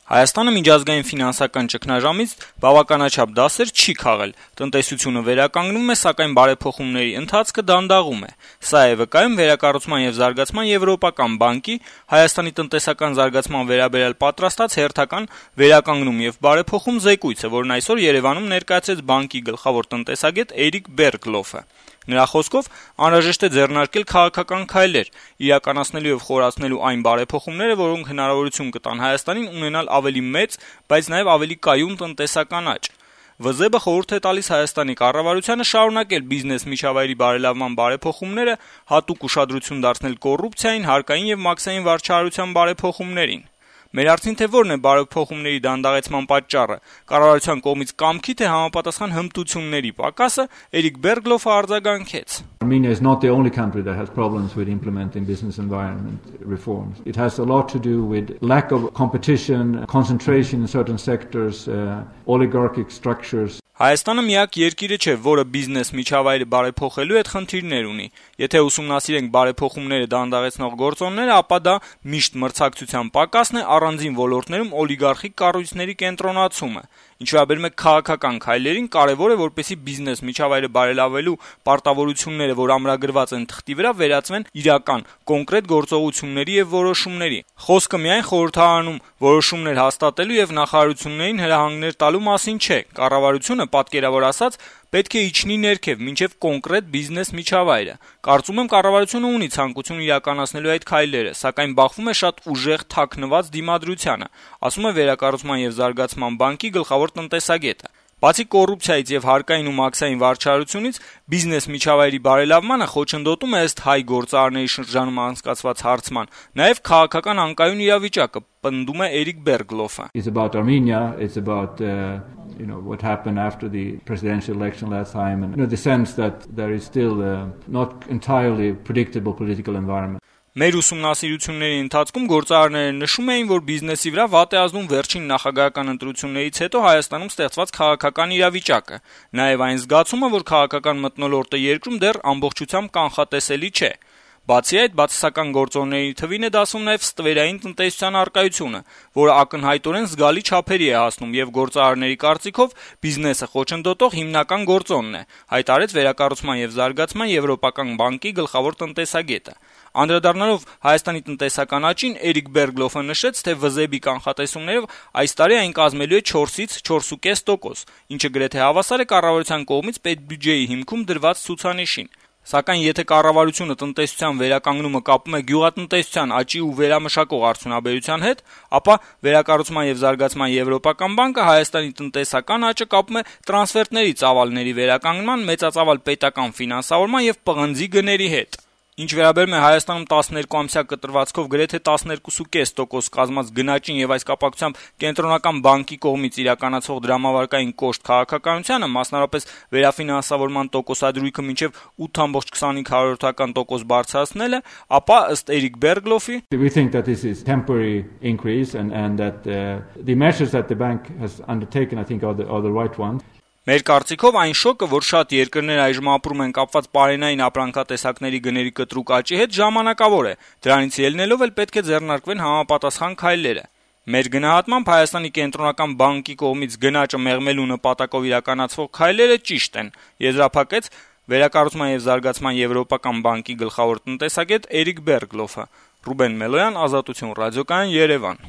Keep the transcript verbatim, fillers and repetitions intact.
Հայաստանը միջազգային ֆինանսական ճգնաժամից բավականաչափ դասեր չի քաղել, տնտեսությունը վերականգնում է, սակայն բարեփոխումների ընթացքը դանդաղում է: Սա է վկայում Վերակառուցման եւ զարգացման եվրոպական բանկի Հայաստանի տնտեսական զարգացման վերաբերյալ պատրաստած հերթական «Վերականգնում եւ բարեփոխում» զեկույցը, որն այսօր Երեւանում ներկայացրեց բանկի գլխավոր տնտեսագետ Էրիկ Բերգլոֆը: Նրա խոսքով անհրաժեշտ է ձեռնարկել քաղաքական քայլեր, իրականացնելու եւ խորացնելու այն բարեփոխումները, որոնք հնարավորություն կտան Հայաստանին ունենալ ավելի մեծ, բայց նաեւ ավելի կայուն տնտեսական աճ: ՎԶԲ-ը խորհուրդ է տալիս Հայաստանի կառավարությանը շարունակել բիզնես միջավայրի բարելավման բարեփոխումները, հատուկ ուշադրություն դարձնել կոռուպցիային, հարկային եւ մաքսային վարչահարության բարեփոխումներին: Մեր հարցին, թե որն է բարեփոխումների դանդաղեցման պատճառը, կառավարության կողմից կամքի, թե համապատասխան հմտությունների պակասը, Էրիկ Բերգլոֆը արձագանքեց. Armenia is not the only country that has problems with implementing business environment reforms. It has a lot to do with lack of competition, concentration in certain sectors, uh, oligarchic structures. Հայաստանը միակ երկիրը չէ, որը բիզնես միջավայրը բարեփոխելու հետ խնդիրներ ունի: Եթե ուսումնասիրենք բարեփոխումները դանդաղեցնող գործոնները, ապա դա միշտ մրցակցության պակասն է, առանձին ոլորտներում օլիգարխիկ կառույցների կենտրոնացումը: Ինչ վերաբերում է քաղաքական քայլերին, կարեւոր է, որպեսզի բիզնես միջավայրը բարելավելու պարտավորությունները, որ ամրագրված են թղթի վրա, վերածվեն իրական, կոնկրետ գործողությունների եւ որոշումների: Խոսքը միայն խորհրդարանում որոշումներ հաստատելու եւ նախարարություններին հրահանգներ տալու մասին չէ: Կառավարությունը, պատկերավոր ասած, պետք է իջնի ներքև, մինչեւ կոնկրետ բիզնես միջավայրը: Կարծում եմ, կառավարությունը ունի ցանկություն իրականացնելու այդ քայլերը, սակայն բախվում է շատ ուժեղ թաքնված դիմադրությանը, ասում է Վերակառուցման եւ զարգացման բանկի գլխավոր տնտեսագետը: Բացի կոռուպցիայից եւ հարկային ու մաքսային վարչահարությունից, բիզնես միջավայրի բարելավմանը խոչընդոտում է, ըստ Հայ գործարարների շրջանում անցկացված հարցման, նաեւ քաղաքական անկայուն իրավիճակը, պնդում է Էրիկ Բերգլոֆը: It's about Armenia, it's about uh, you know what happened after the presidential election last time and you know the sense that there is still uh, not entirely predictable political environment. Մեր ուսումնասիրությունների ընթացքում գործարարները նշում էին, որ բիզնեսի վրա վատ է ազդում վերջին նախագահական ընտրություններից հետո Հայաստանում ստեղծված քաղաքական իրավիճակը, նաեւ այն զգացումը, որ քաղաքական մթնոլորտը երկրում դեռ ամբողջությամբ կանխատեսելի չէ: Բացի այդ, բացասական գործոնների թվին է դասում նաեւ ստվերային տնտեսության առկայությունը, որը ակնհայտորեն զգալի չափերի է հասնում եւ գործարարների կարծիքով բիզնեսը խոչընդոտող հիմնական գործոնն է, հայտարարեց Վերակառուցման եւ զարգացման եվրոպական բանկի գլխավոր տնտեսագետը: Անդրադառնալով Հայաստանի տնտեսական աճին, Էրիկ Բերգլոֆը նշեց, թե ՎԶԲ-ի կանխատեսումներով այս տարի այն կազմելու է չորսից չորս կես տոկոս, ինչը գրեթե հավասար է կառավարության կողմից պետբյուջեի հիմքում դրված ցուցանիշին: Սակայն եթե կառավարությունը տնտեսության վերականգնումը կապում է գյուղատնտեսության աճի ու վերամշակող արդյունաբերության հետ, ապա Վերակառուցման եւ զարգացման եվրոպական բանկը Հայաստանի տնտեսական աճը կապում է տրանսֆերտների ծավալների վերականգնման, մեծածավալ պետական ֆինանսավորման եւ պղնձի գների հետ: Ինչ վերաբերում է Հայաստանում տասներկու ամսյա կտրվածքով գրեթե տասներկուս կես տոկոս կազմած գնաճին եւ այս կապակցությամբ Կենտրոնական բանկի կողմից իրականացվող դրամավարկային կոշտ քաղաքականությանը, մասնավորապես վերաֆինանսավորման տոկոսադրույքը մինչեւ ութ կես տոկոս բարձրացնելը, ապա ըստ Էրիկ Բերգլոֆի We think that this is temporary increase and and that uh, the measures that the bank has undertaken I think are the, are the right ones. Մեր կարծիքով այն շոկը, որ շատ երկրներ այժմ ապրում են կապված պարենային ապրանքատեսակների գների կտրուկ աճի հետ, ժամանակավոր է: Դրանից ելնելով էլ պետք է ձեռնարկվեն համապատասխան քայլերը: Մեր գնահատմամբ Հայաստանի Կենտրոնական բանկի կողմից գնաճը մեղմելու նպատակով իրականացվող քայլերը ճիշտ են, եզրափակեց Վերակառուցման եւ զարգացման եվրոպական բանկի գլխավոր տնտեսագետ Էրիկ Բերգլոֆը: Ռուբեն Մելոյան, Ազատություն ռադիոկայան, Երևան: